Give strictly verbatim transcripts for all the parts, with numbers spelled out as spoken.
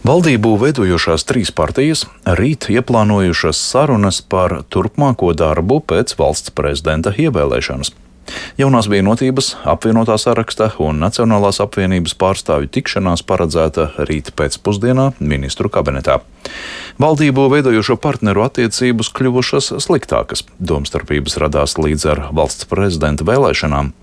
Valdību veidojošās trīs partijas rīt ieplānojušas sarunas par turpmāko darbu pēc valsts prezidenta ievēlēšanas. Jaunās vienotības, apvienotā saraksta un Nacionālās apvienības pārstāvju tikšanās paredzēta rīt pēcpusdienā ministru kabinetā. Valdību veidojošo partneru attiecības kļuvušas sliktākas. Domstarpības radās līdz ar valsts prezidenta vēlēšanām.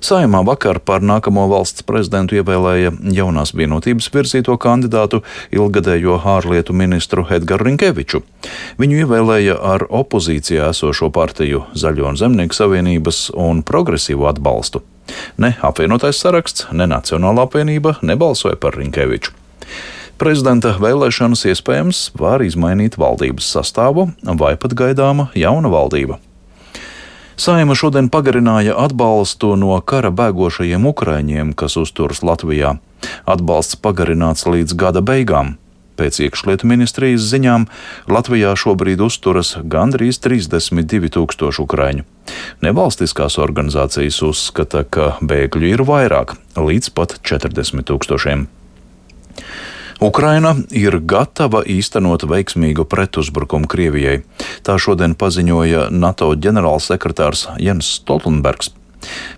Saeimā vakar par nākamo valsts prezidentu ievēlēja Jaunās vienotības virzīto kandidātu, ilgadējo ārlietu ministru Edgaru Rinkeviču. Viņu ievēlēja ar opozīcijā esošo partiju Zaļo un Zemnieku savienības un progresīvu atbalstu. Ne apvienotais saraksts, ne Nacionālā apvienība nebalsoja par Rinkeviču. Prezidenta vēlēšanas iespējams var izmainīt valdības sastāvu vai pat gaidāma jauna valdība. Saeima šodien pagarināja atbalstu no kara bēgošajiem ukraiņiem, kas uzturas Latvijā. Atbalsts pagarināts līdz gada beigām. Pēc iekšlietu ministrijas ziņām Latvijā šobrīd uzturas gandrīz trīsdesmit divi tūkstoši ukraiņu. Nevalstiskās organizācijas uzskata, ka bēgļu ir vairāk, līdz pat četrdesmit tūkstošiem. Ukraina ir gatava īstenot veiksmīgu pretuzbrukumu Krievijai. Tā šodien paziņoja NATO ģenerālsekretārs Jens Stoltenbergs.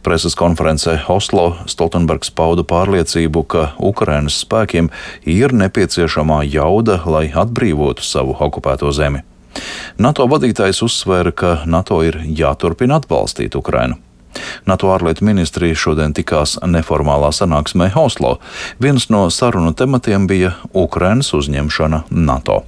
Preses konferencē Oslo Stoltenbergs pauda pārliecību, ka Ukrainas spēkiem ir nepieciešamā jauda, lai atbrīvotu savu okupēto zemi. NATO vadītājs uzsvēra, ka NATO ir jāturpina atbalstīt Ukrainu. NATO ārlietu ministrija šodien tikās neformālā sanāksmē Oslo. Viens no sarunu tematiem bija Ukrainas uzņemšana NATO.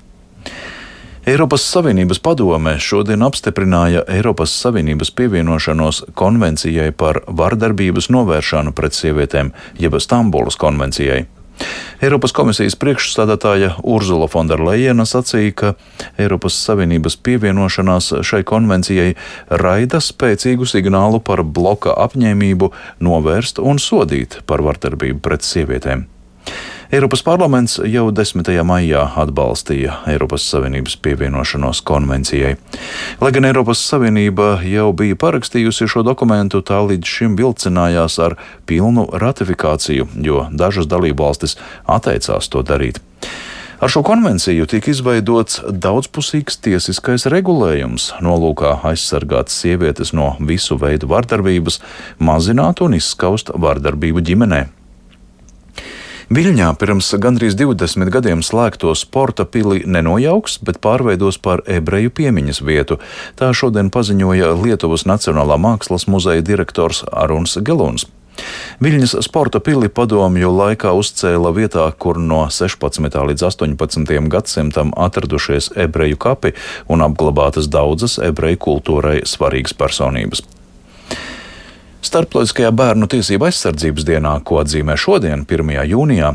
Eiropas Savienības padome šodien apstiprināja Eiropas Savienības pievienošanos konvencijai par vardarbības novēršanu pret sievietēm, jeb Stambulas konvencijai. Eiropas komisijas priekšsēdētāja Urzula Fonderlejena sacīja, ka Eiropas Savienības pievienošanās šai konvencijai raida spēcīgu signālu par bloka apņēmību novērst un sodīt par vardarbību pret sievietēm. Eiropas parlaments jau desmitajā maijā atbalstīja Eiropas Savienības pievienošanos konvencijai. Lai gan Eiropas Savienība jau bija parakstījusi šo dokumentu, tā līdz šim vilcinājās ar pilnu ratifikāciju, jo dažas dalībvalstis atteicās to darīt. Ar šo konvenciju tika izveidots daudzpusīgs tiesiskais regulējums, nolūkā aizsargāt sievietes no visu veidu vardarbības, mazināt un izskaust vardarbību ģimenē. Viļņā pirms gandrīz divdesmit gadiem slēgto sporta pili nenojauks, bet pārveidos par ebreju piemiņas vietu. Tā šodien paziņoja Lietuvas Nacionālā mākslas muzeja direktors Aruns Geluns. Viļņas sporta pili padomju laikā uzcēla vietā, kur no sešpadsmitā līdz astoņpadsmitajam gadsimtam atradušies ebreju kapi un apglabātas daudzas ebreju kultūrai svarīgas personības. Starptautiskajā bērnu tiesību aizsardzības dienā, ko atzīmē šodien, pirmajā jūnijā,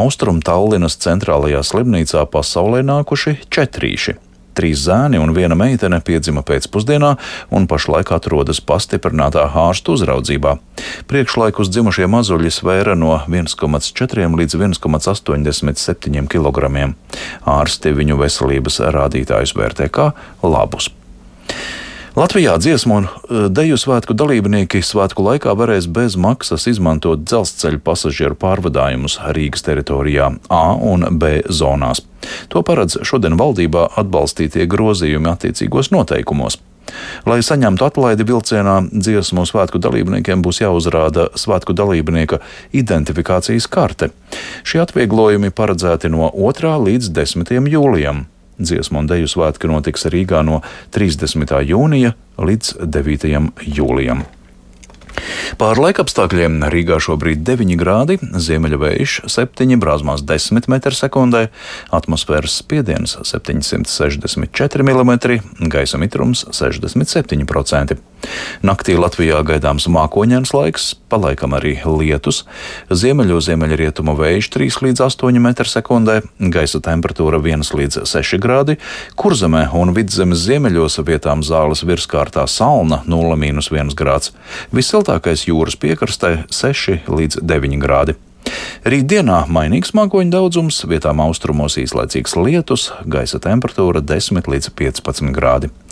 Austrum Tallinas centrālajā slimnīcā pasaulē nākuši četrīši. Trīs zēni un viena meitene piedzima pēcpusdienā un pašlaik atrodas pastiprinātā ārstu uzraudzībā. Priekšlaikus dzimušie mazuļi svēra no viens komats četri līdz viens komats astoņdesmit septiņi kilogramiem. Ārsti viņu veselības rādītājus vērtē kā labus. Latvijā dziesmu un deju svētku dalībnieki svētku laikā varēs bez maksas izmantot dzelzceļa pasažieru pārvadājumus Rīgas teritorijā A un B zonās. To paredz šodien valdībā atbalstītie grozījumi attiecīgos noteikumos. Lai saņemtu atlaidi vilcienā, dziesmu svētku dalībniekiem būs jāuzrāda svētku dalībnieka identifikācijas karte. Šie atvieglojumi paredzēti no otrā līdz desmitajam jūlijam. Dziesmu un deju svētki notiks Rīgā no trīsdesmitā jūnija līdz devītajam jūlijam. Pār laikapstākļiem Rīgā šobrīd deviņi grādi, ziemeļvējš septiņi, brāzmās desmit metri sekundē, atmosfēras spiediens septiņsimt sešdesmit četri milimetri, gaisa mitrums sešdesmit septiņi procenti. Naktī Latvijā gaidāms mākoņains laiks, palaikam arī lietus, ziemeļu ziemeļrietumu vējš trīs līdz astoņi metri sekundē, gaisa temperatūra viens līdz seši grādi, Kurzemē un Vidzemes ziemeļos vietām zāles virskārtā Salna nulle mīnus viens grāds. Vissiltākais jūras piekrastē seši līdz deviņi grādi. Rītdienā mainīgs mākoņu daudzums, vietām austrumos īslaicīgs lietus, gaisa temperatūra desmit līdz piecpadsmit grādi.